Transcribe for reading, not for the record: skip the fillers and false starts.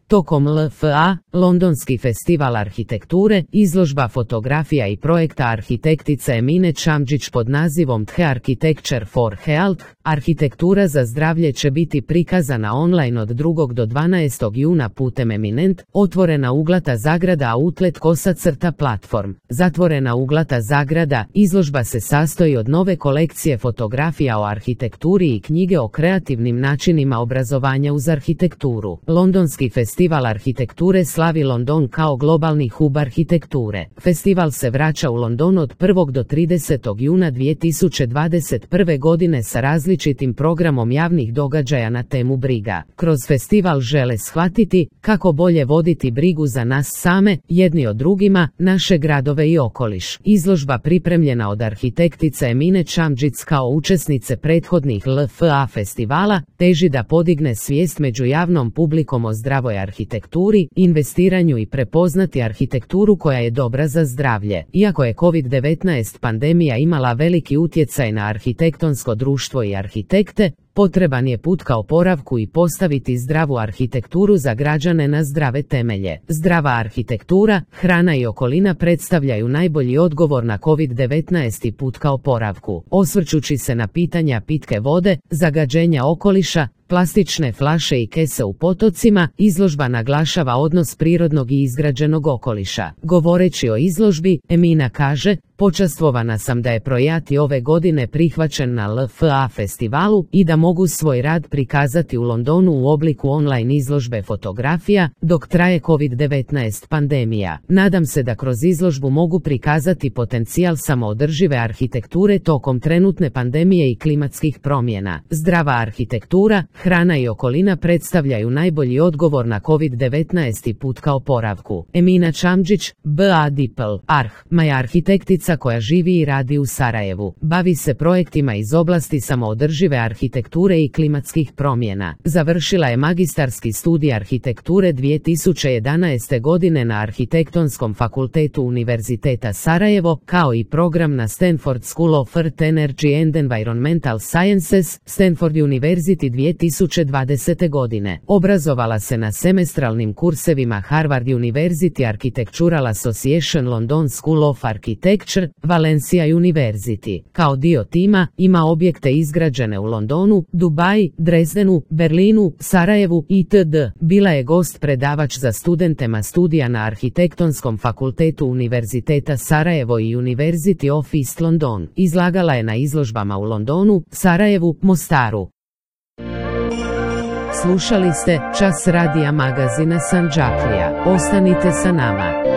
Tokom LFA, Londonski festival arhitekture, izložba fotografija i projekta arhitektice Emine Čamdžić pod nazivom The Architecture for Health, arhitektura za zdravlje će biti prikazana online od 2. do 12. juna putem Eminent, otvorena uglata zagrada Outlet _ platform. Zatvorena uglata zagrada, izložba se sastoji od nove kolekcije fotografija o arhitekturi i knjige o kreativnim načinima obrazovanja uz arhitekturu. Londonski festival arhitekture slavi London kao globalni hub arhitekture. Festival se vraća u London od 1. do 30. juna 2021. godine sa različitim programom javnih događaja na temu briga. Kroz festival žele shvatiti kako bolje voditi brigu za nas same, jedni od drugima, naše gradove i okoliš. Izložba pripremljena od arhitektice Emine Čamdžić kao učesnice prethodnih LFA festivala, teži da podigne svijest među javnom publikom o zdravoj arhitekturi, investiranju i prepoznati arhitekturu koja je dobra za zdravlje. Iako je COVID-19 pandemija imala veliki utjecaj na arhitektonsko društvo i arhitekte, potreban je put ka oporavku i postaviti zdravu arhitekturu za građane na zdrave temelje. Zdrava arhitektura, hrana i okolina predstavljaju najbolji odgovor na COVID-19 i put ka oporavku. Osvrćući se na pitanja pitke vode, zagađenja okoliša, plastične flaše i kese u potocima, izložba naglašava odnos prirodnog i izgrađenog okoliša. Govoreći o izložbi, Emina kaže: počastvovana sam da je projekt ove godine prihvaćen na LFA festivalu i da mogu svoj rad prikazati u Londonu u obliku online izložbe fotografija, dok traje COVID-19 pandemija. Nadam se da kroz izložbu mogu prikazati potencijal samoodržive arhitekture tokom trenutne pandemije i klimatskih promjena. Zdrava arhitektura, hrana i okolina predstavljaju najbolji odgovor na COVID-19 i put ka oporavku. Emina Čamdžić, B.A. Dipl, je arhitektica koja živi i radi u Sarajevu. Bavi se projektima iz oblasti samoodržive arhitekture i klimatskih promjena. Završila je magistarski studij arhitekture 2011. godine na Arhitektonskom fakultetu Univerziteta Sarajevo, kao i program na Stanford School of Earth Energy and Environmental Sciences, Stanford University 2020. godine. Obrazovala se na semestralnim kursevima Harvard University Architectural Association London School of Architecture, Valencia University. Kao dio tima, ima objekte izgrađene u Londonu, Dubaji, Dresdenu, Berlinu, Sarajevu itd. Bila je gost predavač za studentema studija na Arhitektonskom fakultetu Univerziteta Sarajevo i University of East London. Izlagala je na izložbama u Londonu, Sarajevu, Mostaru. Slušali ste Čas radija magazina Sandžaklija. Ostanite sa nama.